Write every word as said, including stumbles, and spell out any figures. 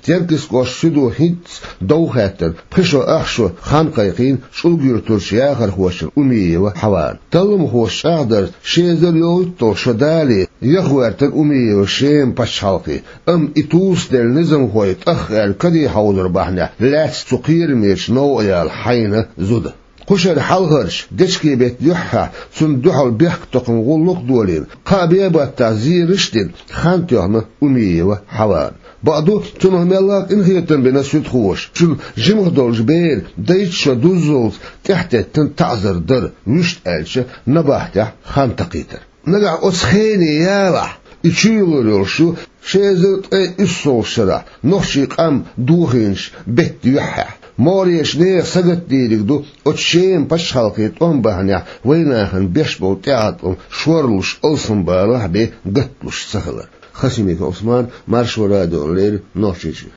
Теркйист кӀоштан суьдо хӀинцца дов хаьттар пхи шо ах шо хан кхайкхийна ЧӀулга-Юртарчу яхархочун Умиева Хьаван. Талламхоша чӀагӀдарца, ши эзар йолхуьйтталгӀа шо далале, яха гӀоьртина Умиева Шеман пачхьалкхе, амма и тусаделла низамхой тӀахъаьлла каре хьовзар бахьанехь лаьцна цу кхерамечу новкъа яла хьайна зуда. Кху шеран хьалхарчу дечкен-беттан юьххьехь цунна дуьхьал бехктокхаман гӀуллакх а долийна, кхаа бен-баттахь зераш а дина, хан тоьхна Умиева Хьавана. Бакъду, цунах мелла а къинхетам бина суьдхоша, цуьнан жимах долчу беран дайца шо дуззалц тӀаьхьатеттина таӀзар дар, вуьшта аьлча, набахтехь хан такхийтар. Нагахь оцу хене ялахь, и чуйалур йолуш ю ши эзар ткъе уьссалгӀачу шарахь нохчийн къам дохийначу беттан юьххьехь. МогӀарерчу нехан сагатдийриг ду оцу Шеман пачхьалкхийн тӀом бахьанехь вайнахана беш болу тӀеӀаткъам шорлуш алсамбалахь бен гатталуш ца хилар. Хасимиков Ӏусман, Маршо радиона леррина, Нохчийчоь.